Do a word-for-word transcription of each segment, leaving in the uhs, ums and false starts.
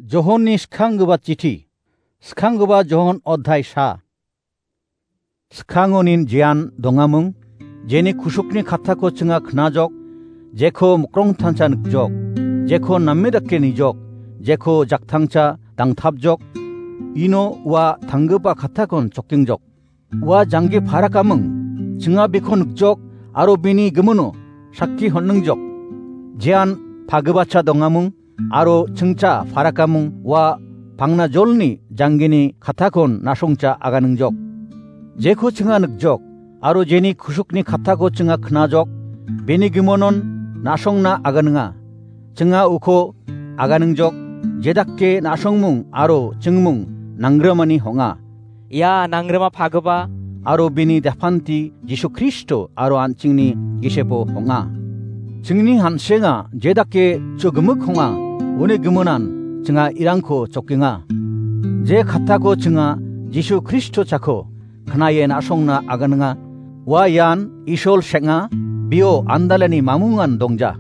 Johonni skanggipa chithi. Skanggipa Johon odhai sa. Skangonin jean dongamung, jeni kusukni kattako chinga knajok, jeko mukrongtangcha nikjok, jeko name dake nijok, jeko jaktangcha dangtapjok, ino ua tanggipa kattakon chokingjok. Ua janggi parakamung, chinga biko nikjok, aro bini gimino sakki honningjok. Jean pagibacha dongamung, aro chingcha parakamung ua pangnajolni janggini kattakon nasongcha aganingjok. Jeko chinga nikjok, aro jeni kusukni kattako chinga knajok, bini gimonon nasongna aganinga. Chinga uko aganingjok, jedake nasongmung aro chingmung nanggrimani honga. Ia nangrima pagipa aro bini dapanti Jisu Kristo aro an·chingni gisepo honga. Chingni hansenga jedake chogimik honga, uni giminan chinga irangko chokenga. Je kattako chinga Jisu Kristo chako knaye nasongna aganinga. Ua ian Isol seng·a, bio andalani mamungan dongja.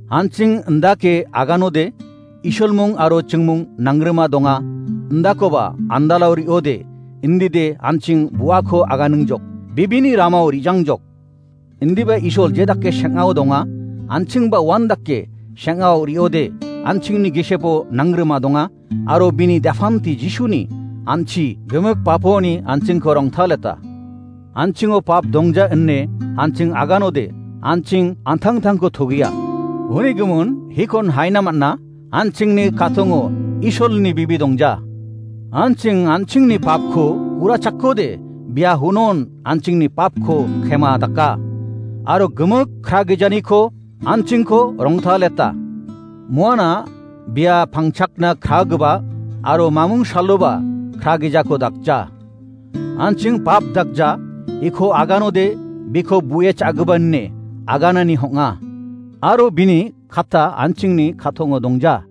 An·ching indake aganode, Isolmung aro chingmung nangrima donga, indakoba andalao riode, indide an·ching buako aganingjok, bibini ramao rijangjok. Indiba Isol jedake seng·ao donga, an·chingba uandake seng·ao riode, an·chingni gisepo nangrima donga, aro bini dapanti Jisuni an·chi gimik paponi an·chingko rongtaleta. An·chingo pap dongja ine an·ching aganode, an·ching an·tangtangko togia. Uni gimin hikon haina man·a, an·chingni katongo Isolni bibi dongja. An·ching an·chingni papko urachakkode, bia hunon an·chingni papko kema daka. Aro gimik kragijaniko an·chingko rongtaleta. Muana bia pangchakna kragipa aro mamung saloba kragijako dakja. An·ching pap dakja, iko aganode biko bu·e cha·gipa ine aganani hong·a. Aro bini katta an·chingni katongo dongja.